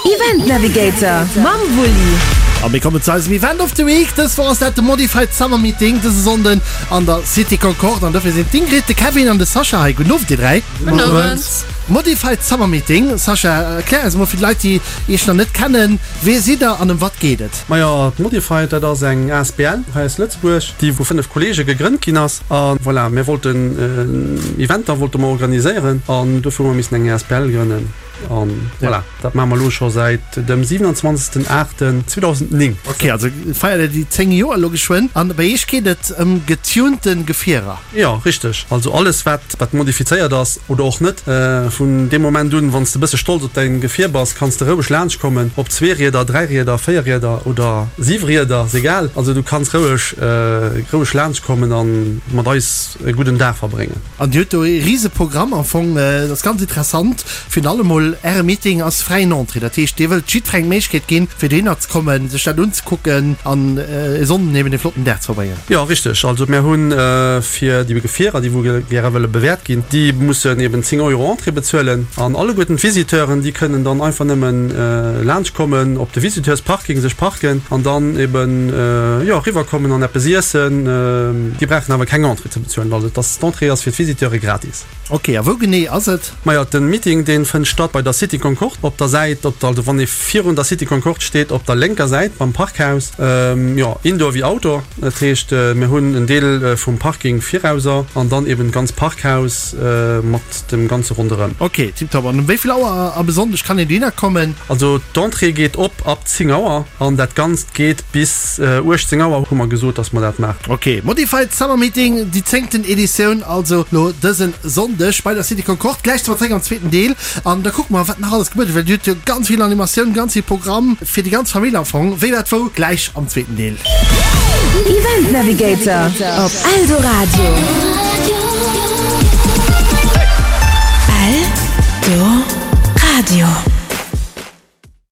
Event Navigator mam Wulli. A mir kommen zu eisem Event of the Week. Dës Woch ass dat de Modified Summer Meeting dëse Sonnden an der City Concorde. An dofir sinn d'Ingrid, de Kevin an de Sascha hei. Gudden Owend, dir 3. Gudden Owend. Modified Summer Meeting, Sascha, erklär eis emol fir déi Leit, déi iech nach net kennen, Wee sidd der an ëm wat geet et? Majo, d'Modified, dat ass eng asbl hei aus Lëtzebuerg, déi vu 5 Kollege gegrënnt ginn ass. A voilà, mir wollten Eventer wollte mer organiséieren an dofir hu mer missen eng asbl grënnen. An voilà, dat maache mer elo scho säit dem 27. 8. 2009. Ok, also feiert der déi 10 Joer elo geschwënn. An bei iech geet et ëm getunte Gefierer? Jo, richteg. Also alles wat wat modifizéiert ass oder och net. Vun deem Moment un, wann s de bësse stolz op däin Gefier bass, kanns de roueg laanscht kommen. Ob Zweerieder, Dräirieder, Véierrieder oder Siwerieder, ass egal. Also du kanns roueg roueg laanscht kommen an mat eis e gudden Dag verbréngen. An Dir hutt do ee rise Programm am Fong. Dat ass ganz interessant. Virun allem mol, Äre Meeting ass fräien Entrée. Dat heescht, Dir wëllt jiddwerengem d'Méiglechkeet ginn, fir dohinner ze kommen, sech dat unzekucken an e Sonnden eben e flotten Dag ze verbréngen. Jo, richteg. Also mir hu fir déi Gefierer, déi wou gäre wëlle bewäert ginn, déi mussen eben 10 Euro Entrée bezuelen. An alleguerten d'Visiteuren, déi kënnen dann einfach nëmmen laanscht kommen, op de Visiteursparking sech parken an dann eben, jo, eriwwerkommen an eppes iessen. Déi brauchen awer keng Entrée ze bezuelen. Also et ass, d'Entrée ass fir d'Visiteure gratis. Ok, a wou genee ass et? Majo, den Meeting deen fënnt statt bei der City Concorde op der Säit, op der, also wann ee virun der City Concorde steet, op der lénker Säit beim Parkhaus. Jo, Indoor wéi Outdoor, dat heescht mir hunn en Deel vum Parking virauser an dann eben d'ganz Parkhaus mat dem ganze ronderëm. Ok, tiptop. An um wéi vill Auer a besonnesch kann een dohinner kommen? Also d'Entrée geet op ab 10 Auer an dat Ganzt geet bis 18 Auer hu mer gesot, dass mer dat maachen. Ok, Modified Summer Meeting, déi zéngten Editioun also lo dësen Sonndeg bei der City Concorde. Gläich si mer zréck am zweeten Deel an da kucke mer wat nach alles gebuede well Dir hutt jo ganz vill Animatioun, ganz vill Programm fir déi ganz Famill am Fong. Wéi, wat, wou gläich am zweeten Deel. Event Navigator op Eldoradio.